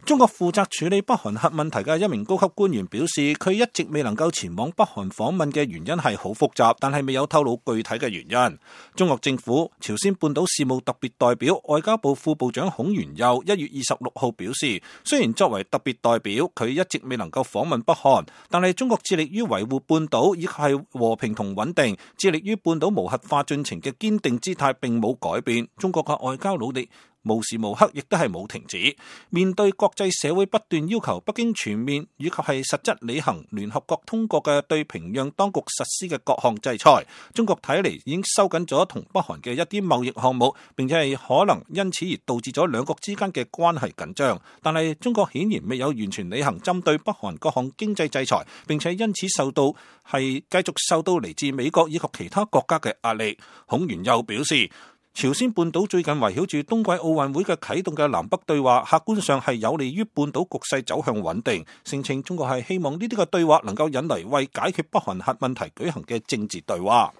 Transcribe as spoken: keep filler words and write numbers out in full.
中國負責處理北韓核問題嘅一名高級官員表示，佢一直未能夠前往北韓訪問嘅原因係好複雜，但係未有透露具體嘅原因。中國政府朝鮮半島事務特別代表外交部副部長孔元佑一月二十六號表示，雖然作為特別代表，佢一直未能夠訪問北韓，但係中國致力於維護半島以及係和平同穩定，致力於半島無核化進程嘅堅定姿態並冇改變。中國嘅外交努力無時無刻亦都係冇停止。面對國際社會不斷要求北京全面以及係實質履行聯合國通過嘅對平壤當局實施嘅各項制裁，中國睇嚟已經收緊咗同北韓嘅一啲貿易項目，並且係可能因此而導致咗兩國之間嘅關係緊張。但係中國顯然未有完全履行針對北韓各項經濟制裁，並且因此受到係繼續受到嚟自美國以及其他國家嘅壓力。孔元佑表示，朝鮮半島最近圍繞住冬季奧運會嘅啟動嘅南北對話，客觀上係有利於半島局勢走向穩定。聲稱中國係希望呢啲嘅對話能夠引嚟為解決北韓核問題舉行嘅政治對話。